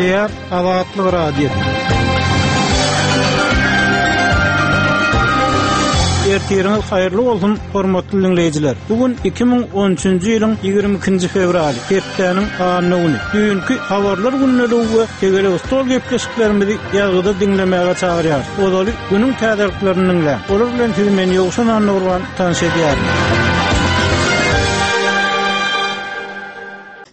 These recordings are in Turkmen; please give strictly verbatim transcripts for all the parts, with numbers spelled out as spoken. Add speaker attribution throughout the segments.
Speaker 1: Gepleýär Azatlyk Radiosy. Ertiriňiz haýyrly bolsun, hormatly diňleýjiler. Bu gün iki müň on üçünji ýylyň ýigrimi ikinji fewraly, hepdäniň anna güni. Düýnki habarlar gündeligi we tegelek stol gepleşiklerimizi ýazgyda diňlemäge çagyrýar. Ozaly günüň täzeliklerini diňläň. Olar bilen sizi men Ýowşan Annagurban tanyş edýärin.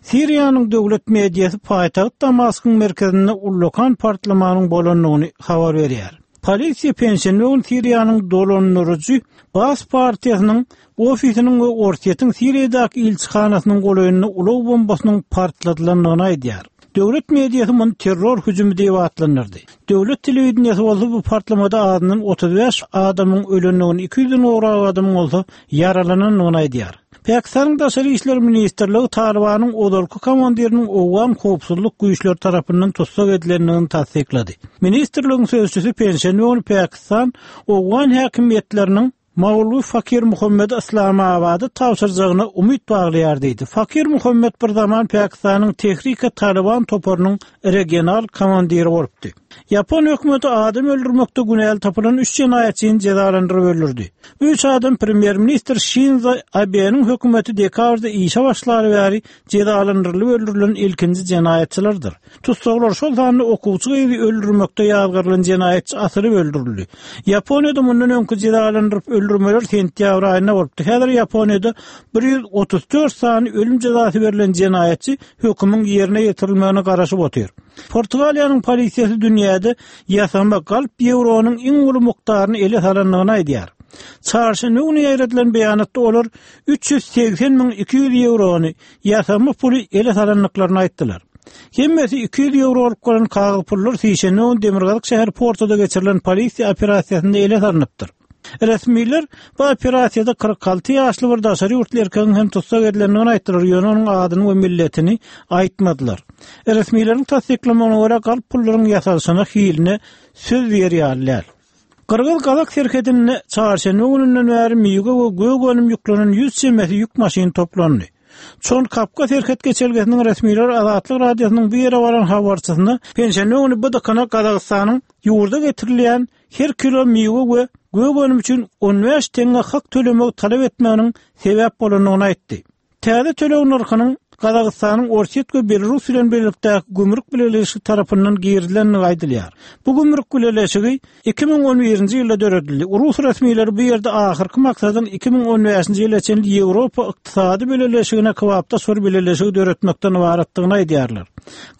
Speaker 1: Siriýanyň döwlet mediasy paýtagt Damaskyň merkezinde ullakan partlamanyň bolandygyny habar berýär. Polisiýa penşenbe gün Siriýanyň dolandyryjy Baas partiýasynyň ofisiniň we Orsýetiň Siriýadaky ilçihanasynyň golaýynda ulag bombasynyň partladylandygyny aýdýar. Döwlet mediasy muny terror hüjümi diýip atlandyrdy. Döwlet telewideniýesi bolsa bu partlamada azyndan otuz bäş adamyň ölendigini, iki ýüzden gowrak adamyň bolsa ýaralanandygyny aýdýar. Pakistanyň Daşary işler ministrligi Talibanyň ozalky komandiriniň Owgan howpsuzlyk güýçleri tarapyndan tussag edilendigini tassyklady. Ministrligiň sözçüsi penşenbe güni Pakistan Owgan häkimiýetleriniň Maulwi Fakir Muhammed Islamabady tabşyrjagyna umyt baglaýar diýdi. Fakir Muhammed bir zaman Pakistanyň Tehrike Taliban toparynyň regional komandiri bolupdy. Ýapon hökümeti adam öldürmekde günäli tapylan üç jenaýatçyny jezalandyryp öldürdi. Üç adam premýer-ministr Şinzo Abe'niň hökümeti dekabrda işe başlary bäri jezalandyrylyp öldürilen ilkinji jenaýatçylardyr. Tussaglar şol sanda okuwçy gyzy öldürmekde ýazgarylan jenaýatçy asylyp öldürildi. Ýaponiýada mundan öňki jezalandyryp öldürmeler sentýabr aýynda bolupdy. Häzir Ýaponiýada bir ýüz otuz dört sany ölüm jezasy berlen jenaýatçy hökümiň ýerine ýetirilmegine garaşyp otyr. Portugaliýanyň polisiýasy dünýäde ýasama galp ýewronyň iň uly mukdaryny ele salandygyny aýdýar. Çarşenbe güni ýaýradylan beýanatda olar üç ýüz segsen müň iki ýüz ýewrony ýasama puly ele salandyklaryny aýtdylar. Hemmesi iki ýüz ýewrolyk bolan kagyz pullar sişenbe güni Demirgazyk şäher Portoda geçirilen polisiýa operasiýasynda ele salynypdyr. Resmiler bu operasiýada kyrk alty ýaşly bir daşary ýurtly erkegiň hem tussag edilendigini aýtdylar, ýöne onuň adyny we milletini aýtmadylar. Resmileriň tassyklamagyna görä galp pullaryň ýasalyşyna hiline söz berýärler. Gyrgyz-Gazak serhedinde çarşenbe gününden bäri miwe we gök önüm ýüklenen ýüz çemesi ýük maşyny toplandy. Çon Kapka serhet geçelgesiniň resmileri Azatlyk Radiosynyň bu ýere baran habarçysyna penşenbe güni bu dykana Gazagystanyň ýurda getirilýän her kilo miwe we gök önüm üçin on bäş teňňe hak tölemegi talap etmeginiň sebäp bolandygyny aýtdy. Täze töleg nyrhynyň Gazagystanyň Orsýet we Belarus bilen birlikdäki gümrük bileleşigi tarapyndan girizilendigi aýdylýar. Bu gümrük bileleşigi iki müň on birinji ýylda döredildi. Rus resmileri bu ýerde ahyrky maksadyň iki müň on bäşinji ýyla çenli Ýewropa ykdysady bileleşigine kybapdaş bir bileleşigi döretmekden ybaratdygyny aýdýarlar.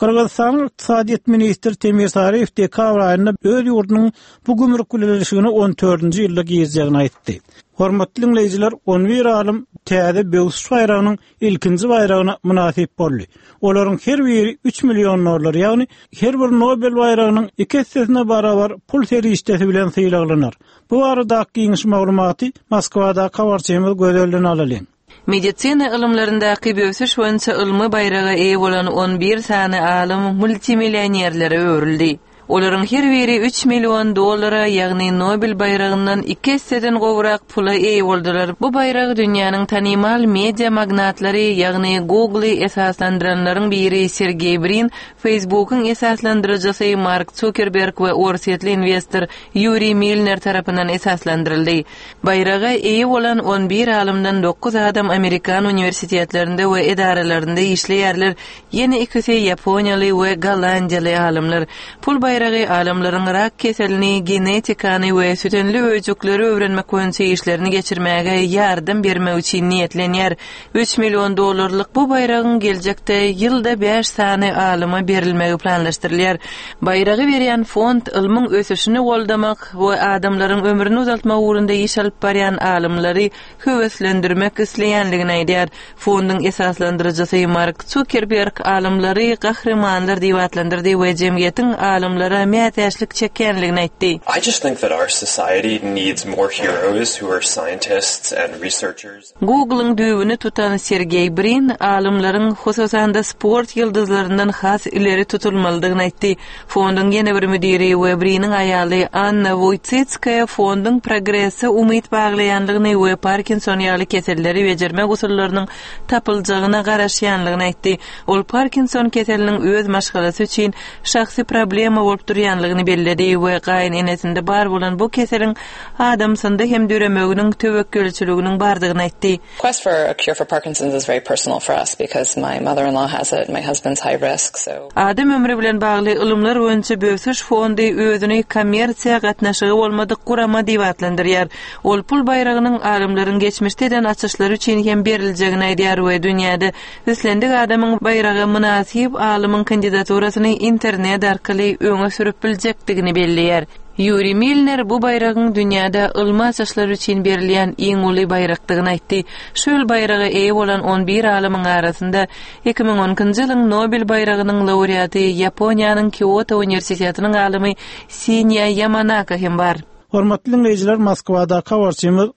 Speaker 1: Gyrgyzystanyň ykdysadyýet ministri Temir Sariýew dekabr aýynda öz ýurdunyň bu gümrük bileleşigine on dördünji ýylda girjegini aýtdy. Hormatly diňleýjiler, on bir alym täze Böwsüş baýragynyň ilkinji baýragyna mynasyp boldy. Olaryň her biri üç million dollar, ýagny her bir Nobel baýragynyň iki essesine barabar pul serişdesi bilen sylaglanar. Bu barada giňiş maglumaty Moskwadaky habarçymyz Gözelden alalyň.
Speaker 2: Medisina ylymlaryndaky böwsüş boýunça ylmy baýraga eýe bolan on bir sany alym multimillionerlere öwrüldi. Olaryň her biri üç million dollara, ýagny Nobel baýragyndan iki esseden gowrak pula eýe boldular. Bu baýrak dünýäniň tanymal media magnatlary, ýagny Google-y esaslandyranlaryň biri Sergeý Brin, Facebookyň esaslandyryjysy Mark Zuckerberg we orsýetli investor Ýuriý Milner tarapyndan esaslandyryldy. Baýraga eýe bolan on bir alymdan dokuz adam Amerikan uniwersitetlerinde we edaralarynda işleýärler, ýene ikisi ýaponiýaly we gollandiýaly alymlar. Pul baýragy alymlaryň rak keselini, genetikany we sütünli öýjükleri öwrenmek boýunça işlerini geçirmäge ýardam bermek üçin niýetlenýär. Üç million dollarlyk bu baýragyň geljekde ýylda bäş sany alyma berilmegi planlaşdyrylýar. Baýragy berýän fond ylmyň ösüşini goldamak we adamlaryň ömrüni uzaltmak ugrunda iş alyp barýan alymlary höweslendirmek isleýänligini aýdýar. Fonduň esaslandyryjysy Mark Zuckerberg alymlary gahrymanlar diýip atlandyrdy we jemgyýetiň alymlary alymlara mätäçlik çekýändigini aýtdy.
Speaker 3: I just think that our society needs more heroes who are scientists and researchers.
Speaker 2: Google-yň düýbüni tutan Sergeý Brin alymlaryň hususan-da sport ýyldyzlaryndan has ileri tutulmalydygyny aýtdy. Fonduň ýene bir müdiri we Briniň aýaly Anna Woýtsitskaýa fonduň progrese umyt baglaýandygyny we Parkinson ýaly keselleri bejermek usullarynyň tapyljagyna garaşýandygyny aýtdy. Ol Parkinson keseliniň öz maşgalasy üçin şahsy problema bolup durýandygyny belledi we gaýynenesinde bar bolan bu keseliň adamsynda hem döremeginiň töwekgelçiliginiň bardygyny aýtdy.
Speaker 4: Quest for a cure for Parkinson's is very personal for us because my mother-in-law has it, my husband's high risk, so
Speaker 2: Adam ömri bilen bagly ylymlar boýunça Bösüş fondy özüni kommersiýa gatnaşygy bolmadyk gurama diýip atlandyrýar. Ol pul baýragynyň alymlaryň geçmişde eden açyşlary üçin hem beriljegini aýdýar we dünýäde islendik adamyň baýraga mynasyp alymyň kandidaturasyny internet arkaly öňe sürüp biljekdigini belleýär. Ýuri Milner bu baýragyň dünýäde ylmy açyşlar üçin berilýän iň uly baýrakdygyny aýtdy. Şu ýyl baýraga eýe bolan on bir alymyň arasynda iki müň on ikinji ýylyň Nobel baýragynyň laureaty Ýaponiýanyň Kioto uniwersitetiniň alymy Sinýa Ýamanaka hem bar.
Speaker 1: Hormatly dinleýjiler, Moskwadaky habarçymyz